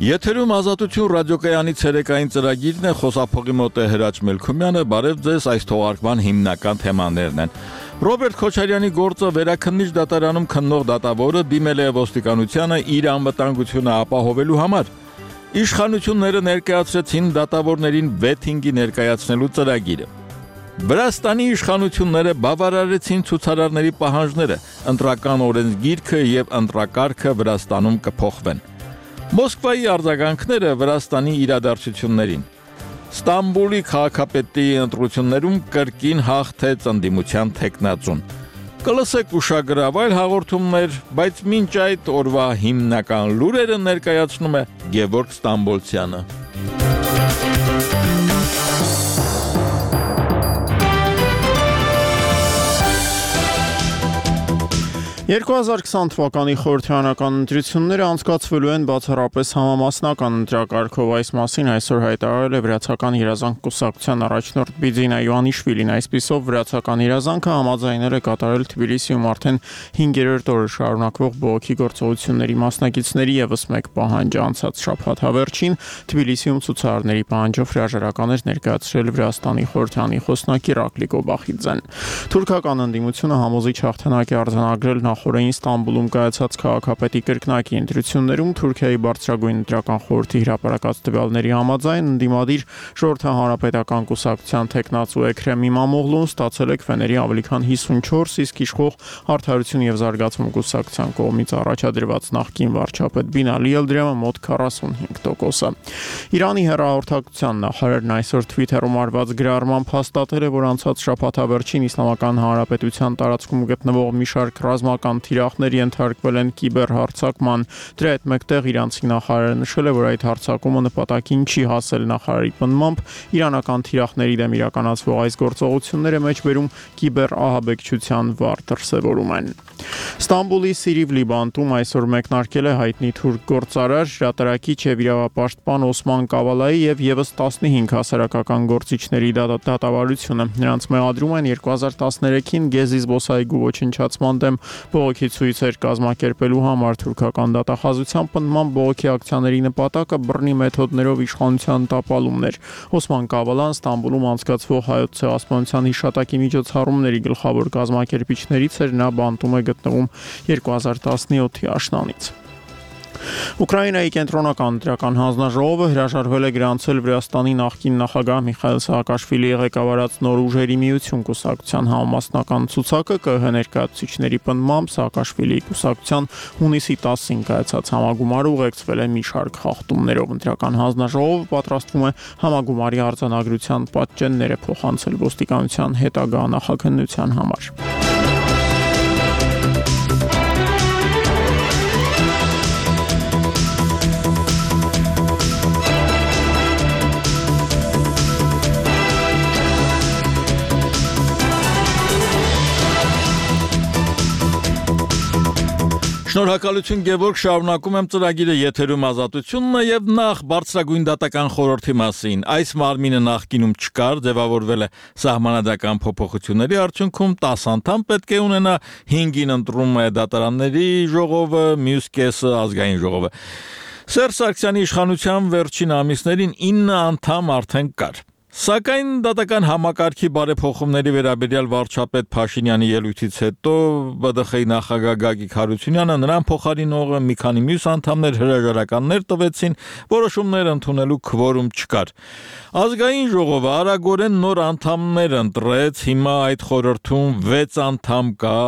Եթերում ազատություն ռադիոկայանի ցերեկային ծրագիրն է, խոսափողի մոտ է Հրաչ Մելքումյանը, բարև ձեզ, այս թողարկման հիմնական թեմաներն են։ Ռոբերտ Քոչարյանի գործը վերաքննիչ դատարանում քննող դատավորը դիմել է ոստիկանությանը իր անվտանգությունը ապահովելու համար։ Իշխանությունները ներկայացրեցին դատավորներին վեթինգի ներկայացնելու ծրագիրը։ Վրաստանի իշխանությունները բավարարեցին ցուցարարների պահանջները, ընտրական օրենսգիրքը եւ ընտրակարգը Վրաստանում կփոխվեն։ Մոսկվայի արձագանքները Վրաստանի իրադարձություններին։ Ստամբուլի քաղաքապետի ընտրություններում կրկին հաղթեց ընդդիմության թեկնածուն։ Կլսեք ուշագրավ այլ հաղորդումներ, բայց մինչ այդ օրվա հիմնական լուրերը ներկայացնում է Գևորգ Ստամբոլցյանը։ 2020 թվականի խորհրդարանական ընտրությունները անցկացվելու են բացառապես համամասնական ընտրակարգով, այս մասին այսօր հայտարարել է Վրացական երազանք կուսակցության առաջնորդ Բիձինա Յոանիշվիլին, այսպիսով Վրացական երազանքը համաձայնել է կատարել Թբիլիսիում արդեն 5-րդ օրը շարունակվող բողոքի գործողությունների մասնակիցների ևս մեկ պահանջը անցած շաբաթ հավերչին Թբիլիսիում ցուցարարների պահանջով հրաժարական էր ներկայացրել Վրաստանի խորհրդարանի խոսնակի Ռակլի Կոբախիձեն։ Թուրքական ընդդիմությունը համոզիչ հաղթանակ է արձանագրել նախորդին Ստամբուլում կայացած քաղաքապետի կրկնակի ընտրություններում Թուրքիայի բարձրագույն ընտրական խորհրդի հրապարակած տվյալների համաձայն ընդդիմադիր ժողովրդահանրապետական կուսակցության թեկնածու Էքրեմ Իմամօղլուն ստացել է քվեների ավելի քան 54, իսկ իշխող Արդարություն եւ զարգացում կուսակցության կողմից առաջադրված նախկին վարչապետ Բինալի Ելդրեմը մոտ 45%։ Իրանի հեռահաղորդակցության նախարարն այսօր Twitter-ում արված գրառմամբ հաստատել է, որ անցած շաբաթավերջին Իսլամական Հանրապետության տարածքում գտնվող մի շարք ռազմական թիրախներ ենթարկվել են կիբերհարձակման։ Դրա հետ մեկտեղ իրանցի նախարարը նշել է, որ այդ հարձակումը նպատակին չի հասել։ Նախարարի պնդմամբ իրանական թիրախների դեմ իրականացվող այս գործողությունները մեջբերում կիբերահաբեկչության վառ դրսևորում են։ Ստամբուլի Սիրիվլի բանտում այսօր մեկնարկել է հայտնի թուրք գործարար, հրատարակիչ եւ իրավապաշտպան Օսման Կավալայի եւ եւս 15 հասարակական գործիչների դատավարությունը։ Նրանց մեղադրում են 2013-ին Գեզի զբոսայգու ոչնչացման դեմ բողոքի ցույցեր կազմակերպելու համար։ Թուրքական դատախազության պնդմամբ բողոքի ակցիաների նպատակը բռնի մեթոդներով իշխանության տապալումն էր։ Օսման Կավալան Ստամբուլում անցկացվող հայոց ցեղասպանության հիշատակի միջոցառումների գլխավոր կազմակերպիչներից էր, նա բանտում է գտնվում 2017-ի աշնանից։ Ուկրաինայի կենտրոնական ընտրական հանձնաժողովը հրաժարվել է գրանցել Վրաստանի նախկին նախագահ Միխայիլ Սահակաշվիլիի ղեկավարած Նոր ուժերի միություն կուսակցության համամասնական ցուցակը ԿՀ ներկայացուցիչների պնդմամբ Սահակաշվիլիի կուսակցության հունիսի 10-ին կայացած համագումարը ուղեկցվել է մի շարք խախտումներով։ Ընտրական հանձնաժողովը պատրաստվում է համագումարի արձանագրության պատճենները փոխանցել ոստիկանության հետագա նախաքննության համար։ Շնորհակալություն Գևորգ, շարունակում եմ ծրագիրը եթերում ազատությունն է եւ նախ բարձրագույն դատական խորհրդի մասին։ Այս մարմինը նախկինում չկար, ձևավորվել է սահմանադրական փոփոխությունների արդյունքում 10 անդամ պետք է ունենա, 5-ին ընտրում է դատարանների ժողովը, մյուս կեսը ազգային ժողովը։ Սերժ Սարգսյանի իշխանության վերջին ամիսներին 9 անդամ արդեն կար։ Սակայն դատական համակարգի բարեփոխումների վերաբերյալ վարչապետ Փաշինյանի ելույթից հետո ԲԴԽ-ի նախագահ Գագիկ Հարությունյանը նրան փոխարինողը մի քանի մյուս անդամներ հրաժարականներ տվեցին, որոշումներ ընդունելու քվորում չկար։ Ազգային ժողովը արագորեն նոր անդամներ ընտրեց, հիմա այդ խորհրդում 6 անդամ կա,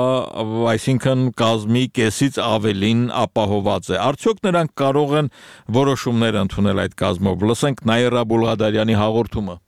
այսինքն կազմի կեսից ավելին ապահոված է։ Արդյոք նրանք կարող են որոշումներ ընդունել այդ կազմով։ Լսենք Նաիրա Բուլղադարյանի հաղորդումը։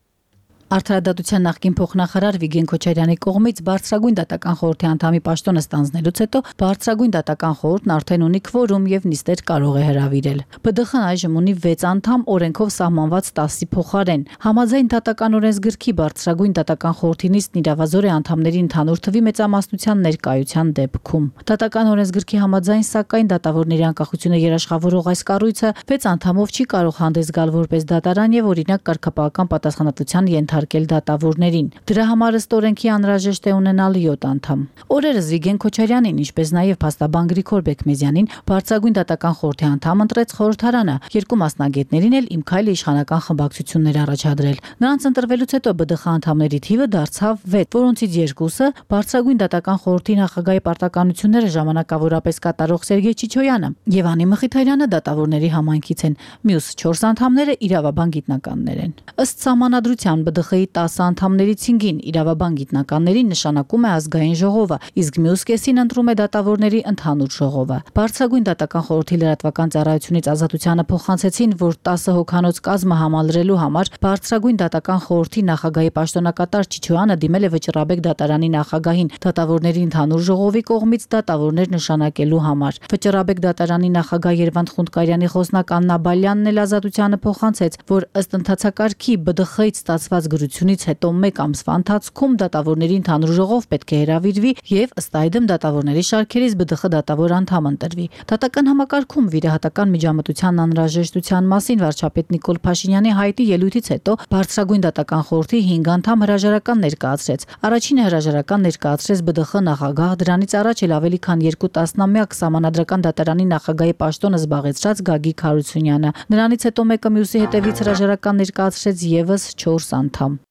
Արդարադատության նախկին փոխնախարար Վիգեն Քոչարյանի կողմից բարձրագույն դատական խորհրդի անդամի պաշտոնը ստանձնելուց հետո բարձրագույն դատական խորհուրդն արդեն ունի քվորում եւ նիստեր կարող է հրավիրել։ ԲԴԽ-ն այժմ ունի 6 անդամ, օրենքով սահմանված 10-ի փոխարեն։ Համաձայն դատական օրենսգրքի բարձրագույն դատական խորհրդի նիստն իրավազոր է անդամների ընդհանուր թվի մեծամասնության ներկայության դեպքում։ Դատական օրենսգրքի համաձայն, սակայն դատավորների անկախությունը երաշխավորող այս կառույցը 6 անդամով չի կարող հանդես գալ որպես դատարան եւ օրինակ կարգապահական պատասխանատվության ենթարկել դատավորներին։ Դրա համար ըստ օրենքի անհրաժեշտ է ունենալ 7 անդամ։ Օրերս Վիգեն Քոչարյանին, ինչպես նաև փաստաբան Գրիգոր Բեկմեզյանին բարձրագույն դատական խորհրդի անդամ ընտրեց խորհրդարանը, երկու մասնագետներին էլ Իմ քայլը իշխանական խմբակցություններ առաջադրել։ Նրանց ընտրվելուց հետո ԲԴԽ անդամների թիվը դարձավ 6, որոնցից երկուսը բարձրագույն դատական խորհրդի նախագահի պարտականությունները ժամանակավորապես կատարող Սերգեյ Չիչոյանը եւ Անի Մխիթարյանը դատավորների համայնքից են, մյուս 4 անդամները իրավաբան գիտնականներ են։ Ըստ սահմանադրության ԲԴԽ-ի 10 անդամներից 5-ին իրավաբան գիտնականներին նշանակում է ազգային ժողովը, իսկ մյուս կեսին ընտրում է դատավորների ընդհանուր ժողովը։ Բարձրագույն դատական խորհրդի լրատվական ծառայությունից ազատությանը փոխանցեցին, որ 10 հոգանոց կազմը համալրելու համար բարձրագույն դատական խորհրդի նախագահի պաշտոնակատար Չիչոյանը դիմել է Վճռաբեկ դատարանի նախագահին դատավորների ընդհանուր ժողովի կողմից դատավորներ նշանակելու համար։ Վճռաբեկ դատարանի նախագահ Երվանդ Խունդկարյանի խոսնակ Աննա Բալյանն էլ ազատությանը փոխանցեց, որ ըստ ընթացակարգի ԲԴԽ-ից ստացված գրությունից հետո 1 ամսվա ընթացքում դատավորների ընդհանուր ժողով պետք է հրավիրվի եւ ըստ այդմ դատավորների շարքերից ԲԴԽ դատավոր անդամ ընտրվի։ Դատական համակարգում վիրահատական միջամտության անհրաժեշտության մասին վարչապետ Նիկոլ Փաշինյանի հայտի ելույթից հետո բարձրագույն դատական խորհրդի 5 անդամ հրաժարական ներկայացրեց։ Առաջինը հրաժարական ներկայացրեց ԲԴԽ նախագահ, դրանից առաջ էլ ավելի քան 2 տասնամյակ Սահմանադրական դատարանի նախագահի պաշտոնը զբաղեցրած Գագիկ Հարությունյանը։ Նրանից հետո մեկը մյուսի հետևից հրաժարական ներկայացրեց եւս 4 անդամ։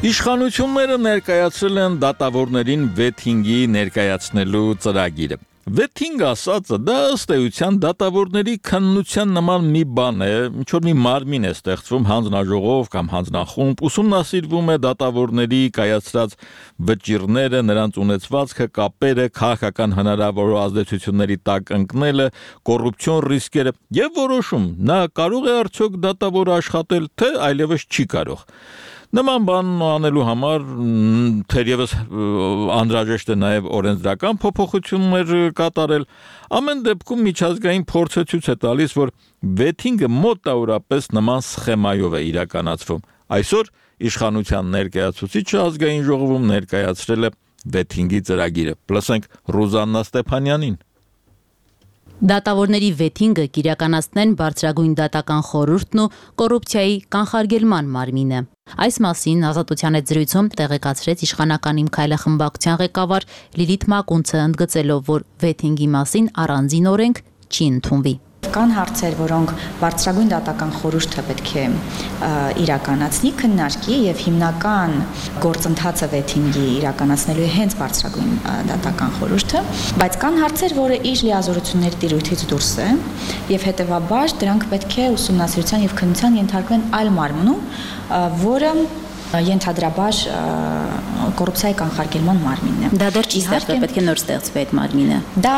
Իշխանությունները ներկայացրել են դատավորներին վեթինգի ներկայացնելու ծրագիրը։ Վեթինգ ասածը դա ըստ էության դատավորների քննության նման մի բան է, ինչ որ մի մարմին է ստեղծվում հանձնաժողով կամ հանձնախումբ, ուսումնասիրվում է դատավորների կայացրած վճիռները, նրանց ունեցվածքը, կապերը, քաղաքական հնարավոր ազդեցությունների տակ ընկնելը, կոռուպցիոն ռիսկերը եւ որոշում նա կարող է արդյոք դատավոր աշխատել, թե այլևս չի կարող։ Նման բան անելու համար թերևս անհրաժեշտ է նաև օրենսդրական փոփոխություններ կատարել։ Ամեն դեպքում միջազգային փորձը ցույց է տալիս, որ վեթինգը մոտավորապես նման սխեմայով է իրականացվում։ Այսօր իշխանության ներկայացուցիչը ազգային ժողովում ներկայացրել է վեթինգի ծրագիրը։ Լսենք Ռուզաննա Ստեփանյանին։ Դատավորների վեթինգը կիրականացնեն բարձրագույն դատական խորհուրդն ու կոռուպցիայի կանխարգելման մարմինը։ Այս մասին ազատության հետ զրույցում տեղեկացրեց իշխանական Իմ քայլը խմբակցության ղեկավար Լիլիթ Մակունցը, ընդգծելով, որ վեթինգի մասին առանձին օրենք չի ընդունվի։ Կան հարցեր, որոնք բարձրագույն դատական խորհուրդը պետք է իրականացնի, քննարկի եւ հիմնական գործընթացը վեթինգի իրականացնելու է հենց բարձրագույն դատական խորհուրդը, բայց կան հարցեր, որը իր լիազորությունների տիրույթից դուրս է եւ հետեւաբար դրանք պետք է ուսումնասիրության եւ քննության ենթարկվեն այլ մարմնում, որը ենթադրաբար կոռուպցիայի կանխարգելման մարմինն է։ Դա դեռ չի ստեղծվել, պետք է նոր ստեղծվի այդ մարմինը։ Դա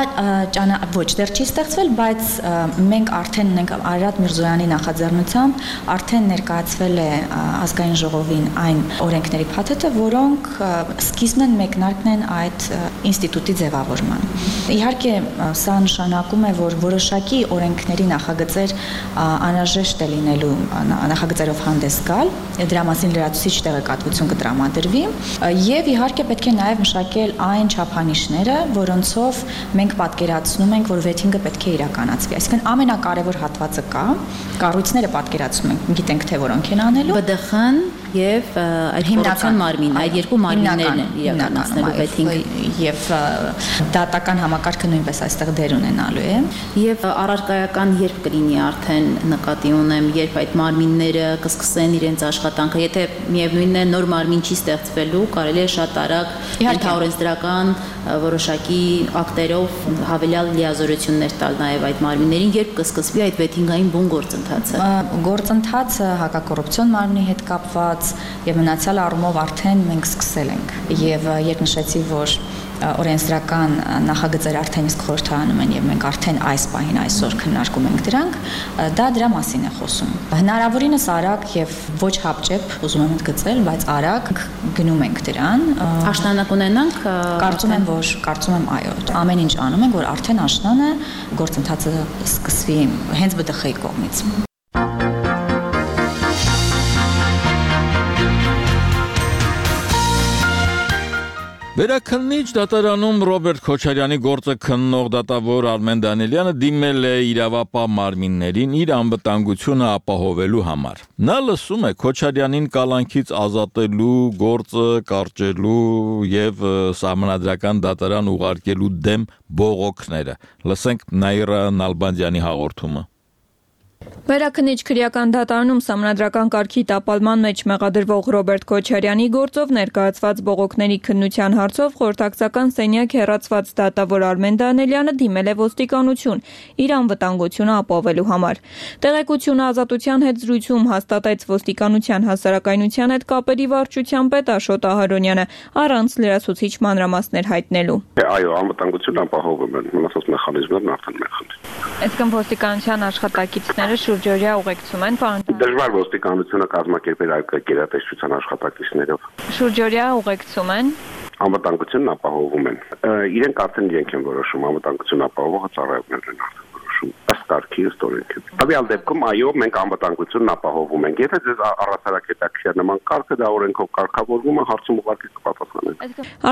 ոչ, դեռ չի ստեղծվել, բայց մենք արդեն ունենք Արարատ Միրզոյանի նախաձեռնությամբ արդեն ներկայացվել է ազգային ժողովին այն օրենքների փաթեթը, որոնք սկիզբն են մեկնարկն են այդ ինստիտուտի ձևավորման։ Իհարկե, սա նշանակում է, որ որոշակի օրենքների նախագծեր անհրաժեշտ է լինելու նախագծերով հանդես գալ, դրա մասին լրացուցիչ տեղեկատվություն կտրամադրվի եւ իհարկե պետք է նաեւ մշակել այն չափանիշները, որոնցով մենք պատկերացնում ենք, որ վեթինգը պետք է իրականացվի։ Այսինքն ամենակարևոր հատվածը կա, կառույցները պատկերացնում ենք, գիտենք թե որոնք են անելու։ ԲԴԽ-ն եւ այդ կոռուպցիոն մարմինը, այդ երկու մարմիններն են իրականացնելու վեթինգը եւ դատական համակարգը նույնպես այստեղ դեր ունենալու է։ Եվ առարկայական երբ կլինի արդեն նկատի ունեմ, երբ այդ մարմինները կսկսեն իրենց աշխատանքը, եթե միևնույնն է նոր մարմին չի ստեղծվելու, կարելի է շատ արագ ենթաօրենսդրական որոշակի ակտերով հավելյալ լիազորություններ տալ նաև այդ մարմիններին, երբ կսկսվի այդ վեթինգային բուն գործընթացը։ Գործընթացը հակակոռուպցիոն մարմնի հետ կապված եւ մնացյալ առումով արդեն մենք սկսել ենք եւ երբ նշեցի, որ օրենսդրական նախագծեր արդեն իսկ խորհրդարանում են եւ մենք արդեն այս պահին այսօր քննարկում ենք դրանք, դա դրա մասին է խոսում։ Հնարավորինս արագ եւ ոչ հապճեպ, ուզում եմ ընդգծել, բայց արագ գնում ենք դրան։ Աշնանակ ունենանք, կարծում եմ այո, ամեն ինչ անում ենք, որ արդեն աշնանը գործընթացը սկսվի հենց ԲԴԽ-ի կողմից։ Վերաքննիչ դատարանում Ռոբերտ Քոչարյանի գործը քննող դատավոր Արմեն Դանիելյանը դիմել է իրավապահ մարմիններին իր անվտանգությունը ապահովելու համար։ Նա լսում է Քոչարյանին կալանքից ազատելու, գործը կարճելու եւ սահմանադրական դատարան ուղարկելու դեմ բողոքները։ Լսենք Նաիրա Նալբանդյանի հաղորդումը։ Վերաքննիչ քրեական դատարանում սահմանադրական կարգի տապալման մեջ մեղադրվող Ռոբերտ Քոչարյանի գործով ներկայացված բողոքների քննության հարցով խորհրդակցական սենյակ հեռացված դատավոր Արմեն Դանիելյանը դիմել է ոստիկանություն իր անվտանգությունը ապահովելու համար։ Տեղեկությունը ազատության հետ զրույցում հաստատեց ոստիկանության հասարակայնության հետ կապերի վարչության պետ Աշոտ Ահարոնյանը առանց լրացուցիչ մանրամասներ հայտնելու։ Այո, անվտանգությունը ապահովում են, մնացած մեխանիզմներն արդեն մեխանիզմ։ Այսինքն ոստիկանության աշխատակիցները շուրջօրյա ուղեկցում են պարոն։ Դժվար ոստիկանությունը կազմակերպել այլ գերատեսչության աշխատակիցներով։ Շուրջօրյա ուղեկցում են։ Անվտանգությունն ապահովում են։ Իրենք արդեն իրենք են որոշում, անվտանգություն ապահովողը ծառայողներն են արդեն որոշում։ Ըստ կարգի, ըստ օրենքի։ Հավիալ դեպքում այո, մենք անվտանգությունն ապահովում ենք։ Եթե ձեզ առասարակ հետաքրքիր նման կարգը դա օրենքով կարգավորվում է, հարցում ուղղակի կպատասխանեն։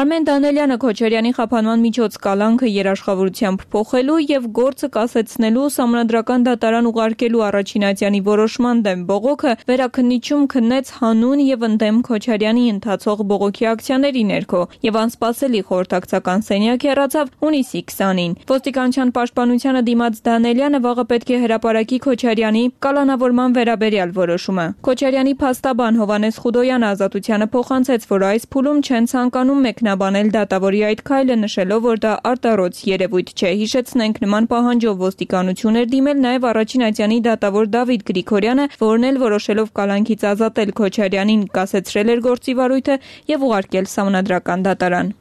Արմեն Դանիելյանը Քոչարյանի խափանման միջոց կալանքը երաշխավորությամբ փոխելու եւ գործը կասեցնելու սահմանադրական դատարան ուղարկելու առաջին ատյանի որոշման դեմ բողոքը վերաքննիչում քննեց հանուն եւ ընդդեմ Քոչարյանի ընթացող բողոքի ակցիաների ներքո եւ անսպասելի խորհրդակցական սենյակ հեռացավ հունիսի 20-ին։ Ոստիկանության պաշտպանությանը դիմաց Դանիելյանը վաղը պետք է հրապարակի Քոչարյանի կալանավորման վերաբերյալ որոշումը։ Քոչարյանի փաստաբան Հովանես Խուդոյանը ազատությանը փոխանցեց, որ այս փուլում չեն ցանկանում մեկնաբանել դատավորի այդ քայլը, նշելով, որ դա արտառոց երևույթ չէ։ Հիշեցնենք, նման պահանջով ոստիկանություն էր դիմել նաև առաջին ատյանի դատավոր Դավիթ Գրիգորյանը, որն էլ որոշելով կալանքից ազատել Քոչարյանին կասեցրել էր գործի վարույթը եւ ուղարկել սահմանադրական դատարան։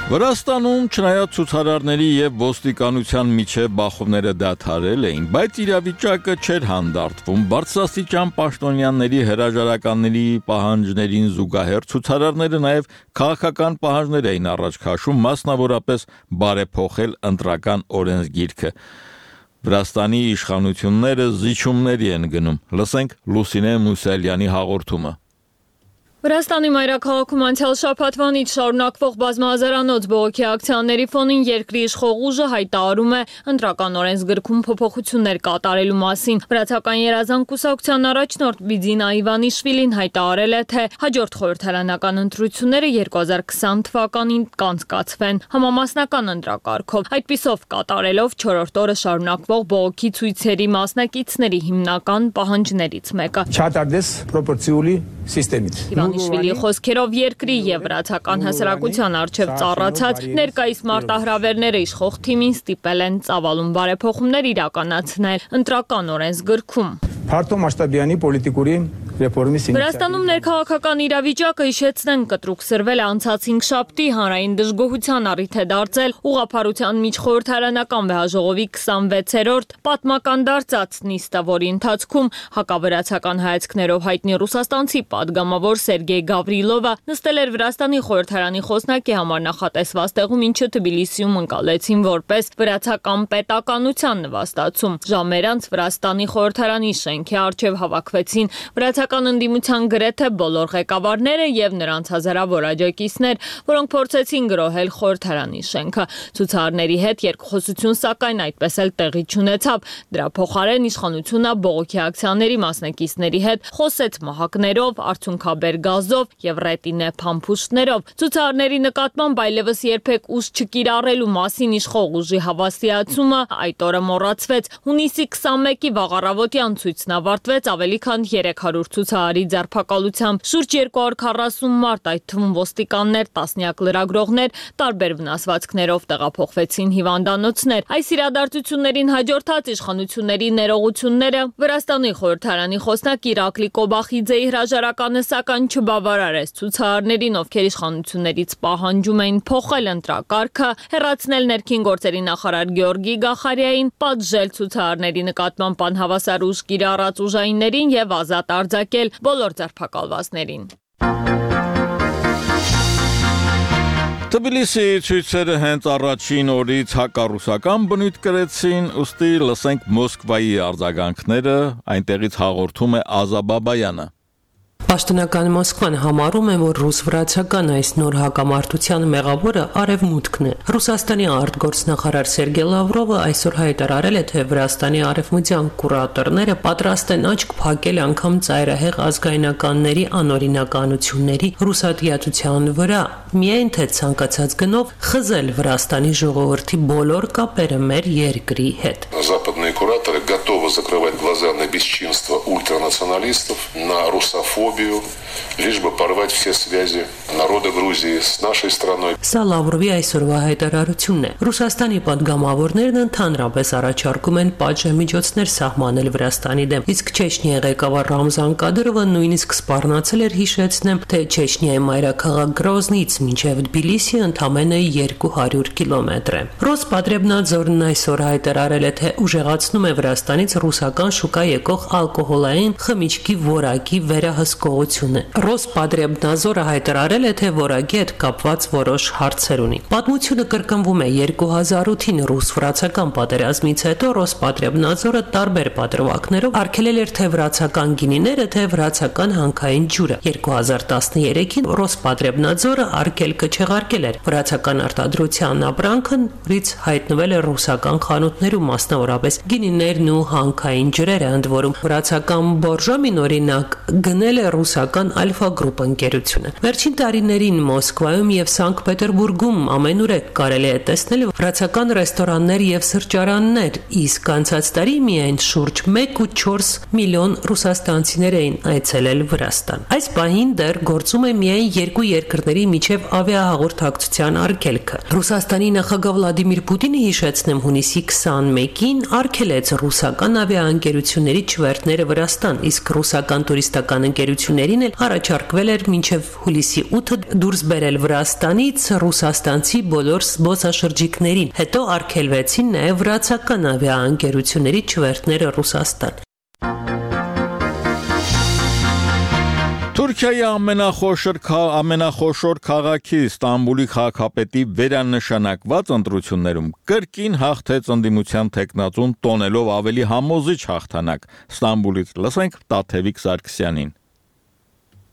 Վրաստանում չնայած ցուցարարների եւ ոստիկանության միջև բախումները դադարել էին, բայց իրավիճակը չէր հանդարտվում։ Բարձրաստիճան պաշտոնյաների հրաժարականների պահանջներին զուգահեռ ցուցարարները նաեւ քաղաքական պահանջներ էին առաջ քաշում, մասնավորապես բարեփոխել ընտրական օրենսգիրքը։ Վրաստանի իշխանությունները զիջումների են գնում։ Լսենք Լուսինե Մուսալյանի հաղորդումը։ Վրաստանի մայրաքաղաքում անցյալ շաբաթվանից շարունակվող բազմահազարանոց բողոքի ակցիաների ֆոնին երկրի իշխող ուժը հայտարարում է ընտրական օրենսգրքում փոփոխություններ կատարելու մասին։ Վրացական երազանք կուսակցության առաջնորդ Բիձինա Իվանիշվիլին հայտարարել է, թե հաջորդ խորհրդարանական ընտրությունները 2020 թվականին կանցկացվեն համամասնական ընտրակարգով։ Այդպիսով կատարելով 4-րդ օրը շարունակվող բողոքի ցույցերի մասնակիցների հիմնական պահանջներից մեկը։ Չաթարդես պրոպորցիոլի սիստեմից։ Իվանիշվիլի խոսքերով երկրի եւ վրացական հասարակության արչեւ ծառացած ներկայիս մարտահրավերները իշխող թիմին ստիպել են ծավալուն բարեփոխումներ իրականացնել ընտրական օրենսգրքում։ Փարտո մասշտաբյանի պոլիտիկուրի Վրաստանում ներքաղաքական իրավիճակը հիշեցնեն կտրուկ սրվել է անցած 5 շաբթի հանրային դժգոհության առիթ է դարձել ուղղափառության միջխորհրդարանական վեհաժողովի 26-րդ պատմական դարձած նիստը, որի ընթացքում հակավրացական հայացքներով հայտնի ռուսաստանցի падգամավոր Սերգեյ Գավրիլովը նստել էր Վրաստանի խորհրդարանի խոսնակի համար նախատեսված տեղում, ինչը Թբիլիսիում ընկալեցին որպես վրացական պետականության նվաստացում։ Ժամեր անց Վրաստանի խորհրդարանի շենքի առջև հավաքվեցին վրացական ընդդիմության գրեթե բոլոր ղեկավարները եւ նրանց հազարավոր աջակիցներ, որոնք փորձեցին գրոհել խորհրդարանի շենքը։ Ցուցարարների հետ երկխոսություն սակայն այդպես էլ տեղի չունեցավ։ Դրա փոխարեն իշխանությունը բողոքի ակցիաների մասնակիցների հետ խոսեց մահակներով, արցունքաբեր գազով եւ ռետինե փամփուշտներով։ Ցուցարարների նկատմամբ այլևս երբեք ուժ չկիրառելու մասին իշխող ուժի հավաստիացումը այդ օրը մոռացվեց։ Հունիսի 21-ի վաղ առավոտյան ցույցն ավարտվեց ավելի քան 300 ցուցարարի ձերբակալությամբ։ Շուրջ 240 մարդ, այդ թվում ոստիկաններ, տասնյակ լրագրողներ, տարբեր վնասվածքներով տեղափոխվեցին հիվանդանոցներ։ Այս իրադարձություններին հաջորդած իշխանությունների ներողությունները Վրաստանի խորհրդարանի խոսնակ Իրակլի Կոբախիձեի հրաժարականը սակայն չբավարարեց ցուցարարներին, ովքեր իշխանություններից պահանջում էին փոխել ընտրակարգը, հեռացնել ներքին գործերի նախարար Գեորգի Գախարիային, պատժել ցուցարարների նկատմամբ անհավասար ուժ կիրառած ուժայիններին եւ ազատ արձակել բոլոր ձերբակալվածներին։ Թբիլիսի ցույցերը հենց առաջին օրից հակառուսական բնույթ կրեցին, ուստի լսենք Մոսկվայի արձագանքները, այնտեղից հաղորդում է Ազա Բաբայանը։ Պաշտոնական Մոսկվան համարում է, որ ռուս-վրացական այս նոր հակամարտության մեղավորը արևմուտքն է։ Ռուսաստանի արտգործնախարար Սերգեյ Լավրովը այսօր հայտարարել է, թե Վրաստանի արևմտյան կուրատորները պատրաստ են աչք փակել անգամ ծայրահեղ ազգայնականների անօրինականությունների ռուսատիացության վրա, միայն թե ցանկացած գնով խզել Վրաստանի ժողովրդի բոլոր կապերը մեր երկրի հետ։ Западные кураторы готовы закрывать глаза на бесчинство ультранационалистов, на русофобию, лишь бы порвать все связи народа Грузии с нашей страной. Սա Լավրովի այսօրվա հայտարարությունն է։ Ռուսաստանի պատգամավորներն ընդհանրապես առաջարկում են պատժամիջոցներ սահմանել Վրաստանի դեմ։ Իսկ Չեչնիայի ղեկավար Ռամզան Կադիրովը նույնիսկ սպառնացել էր հիշեցնեմ, թե Չեչնիայի մայրաքաղաք Գրոզնից մինչև Թբիլիսի ընդամենը 200 կիլոմետր է։ Ռոսպատրեբնաձորն այսօր հայտարարել է, թե ուժեղացնում է Վրաստանից ռուսական շուկա եկող ալկոհոլային խմիչքի որակի վերահսկողությունը։ Ռոսպատրեբնաձորը հայտարարել է, թե որակի հետ կապված որոշ հարցեր ունի։ Պատմությունը կրկնվում է 2008-ին ռուս-վրացական պատերազմից հետո Ռոսպատրեբնաձորը տարբեր պատրվակներով արգելել էր թե վրացական գինիները, թե վրացական հանքային ջուրը։ 2013-ին Ռոսպատրեբնաձորը արգելքը չեղարկել էր։ Վրացական արտադրության ապրանքը նորից հայտնվել է ռուսական խանութներում, մասնավորապես գինիներն ու հանքային ջրերը, ընդ որում վրացական Բորժոմին օրինակ գնել է ռուսական Ալֆա գրուպ ընկերությունը։ Վերջին տարիներին Մոսկվայում եւ Սանկտ Պետերբուրգում ամենուրեք կարելի է տեսնել վրացական ռեստորաններ եւ սրճարաններ, իսկ անցած տարի միայն շուրջ 1.4 միլիոն ռուսաստանցիներ էին այցելել Վրաստան։ Այս պահին դեռ գործում է միայն երկու երկրների միջև ավիահաղորդակցության արգելքը։ Ռուսաստանի նախագահ Վլադիմիր Պուտինը հիշեցնեմ հունիսի 21-ին արգելեց ռուսական ավիաընկերությունների չվերթները Վրաստան, իսկ ռուսական տուրիստական ընկերություններին էլ առաջարկվել էր մինչև հուլիսի 8-ը դուրս բերել Վրաստանից ռուսաստանցի բոլոր զբոսաշրջիկներին։ Հետո արգելվեցին նաև վրացական ավիաընկերությունների չվերթները Ռուսաստան։ Թուրքիայի ամենախոշոր քաղաքի Ստամբուլի քաղաքապետի վերանշանակված ընտրություններում կրկին հաղթեց ընդդիմության թեկնածուն տոնելով ավելի համոզիչ հաղթանակ։ Ստամբուլից լսենք Տաթևիկ Սարգսյանին։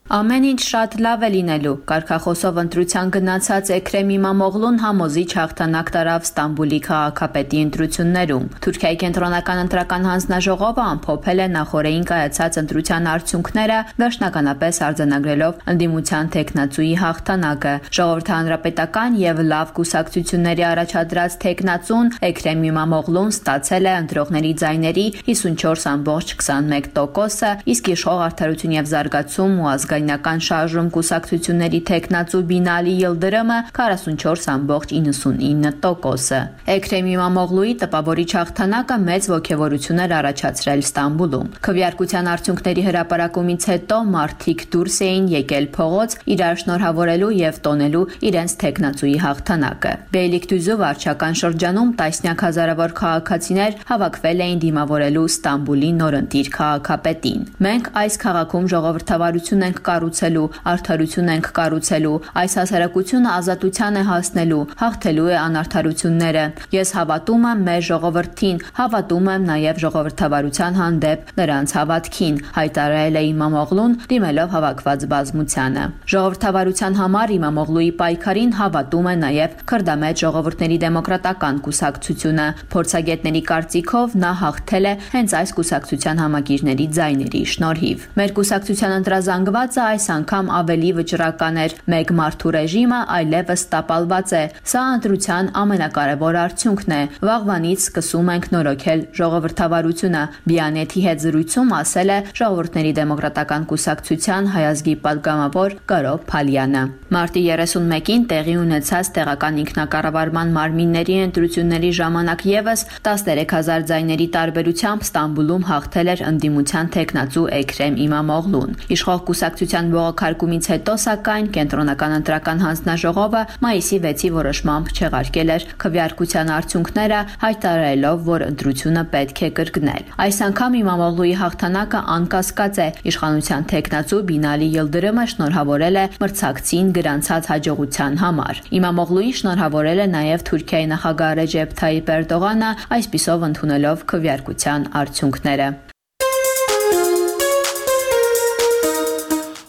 Ամեն ինչ շատ լավ է լինելու։ Կարգախոսով ընտրության գնացած Էքրեմ Իմամօղլուն համոզիչ հաղթանակ տարավ Ստամբուլի քաղաքապետի ընտրություններում։ Թուրքիայի կենտրոնական ընտրական հանձնաժողովը ամփոփել է նախորդին կայացած ընտրության արդյունքները, վերջնականապես արձանագրելով ընդդիմության թեկնածուի հաղթանակը։ Ժողովրդի հանրապետական եւ լավ կուսակցությունների առաջադրած թեկնածուն Էքրեմ Իմամօղլուն ստացել է ընտրողների ձայների 54.21%-ը, իսկ իշխող Արդարություն եւ զարգացում ու ազգայնական շարժում կուսակցությունների թեկնածու Բինալի Յիլդրըմը 44.99%-ը։ Էքրեմ Իմամօղլուի տպավորիչ հաղթանակը մեծ ոգևորություն էր առաջացրել Ստամբուլում։ Քվեարկության արդյունքների հրապարակումից հետո մարդիկ դուրս էին եկել փողոց իրար շնորհավորելու եւ տոնելու իրենց թեկնածուի հաղթանակը։ Բեյլիկդուզու վարչական շրջանում տասնյակ հազարավոր քաղաքացիներ հավաքվել էին դիմավորելու Ստամբուլի նորընտիր քաղաքապետին։ Մենք այս քաղաքում ժողովրդավարություն ենք կառուցելու, արդարություն ենք կառուցելու, այս հասարակությունը ազատության է հասնելու, հաղթելու է անարդարությունները։ Ես հավատում եմ մեր ժողովրդին, հավատում եմ նաև ժողովրդավարության հանդեպ նրանց հավատքին, հայտարարել է Իմամօղլուն դիմելով հավաքված բազմությանը։ Ժողովրդավարության համար Իմամօղլուի պայքարին հավատում է նաև Քրդամետ ժողովուրդների դեմոկրատական կուսակցությունը։ Փորձագետների կարծիքով նա հաղթել է հենց այս կուսակցության համակիրների ձայների շնորհիվ։ Մեր կուսակցության ընտրազանգվածը այս անգամ ավելի վճռական էր։ Մեկ մարդու ռեժիմը այլևս տապալված է։ Սա ընտրության ամենակարևոր արդյունքն է։ Վաղվանից սկսում ենք նորոգել ժողովրդավարությունը։ Բիանեթի հետ զրույցում ասել է Ժողովուրդների դեմոկրատական կուսակցության հայազգի պատգամավոր Կարո Փալյանը։ Մարտի 31-ին տեղի ունեցած տեղական ինքնակառավարման մարմինների ընտրությունների ժամանակ եւս 13000 ձայների տարբերությամբ Ստամբուլում հաղթել էր ընդդիմության թեկնածու Էքրեմ Իմամօղլուն։ Իշխող կուսակցության կուսակցության բողոքարկումից հետո, սակայն կենտրոնական ընտրական հանձնաժողովը մայիսի 6-ի որոշմամբ չեղարկել էր քվեարկության արդյունքները, հայտարարելով, որ ընտրությունը պետք է կրկնել։ Այս անգամ Իմամօղլուի հաղթանակը անկասկած է։ Իշխանության թեկնածու Բինալի Յիլդիրիմը շնորհավորել է մրցակցին գրանցած հաջողության համար։ Իմամօղլուին շնորհավորել է նաև Թուրքիայի նախագահ Ռեջեփ Թայիպ Էրդողանը, այսպիսով ընդունելով քվեարկության արդյունքները։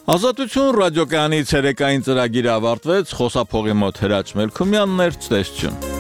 Ազատություն ռադիոկայանի ցերեկային ծրագիրը ավարտվեց, խոսափողի մոտ Հրաչ Մելքումյանն էր, ցտեսություն։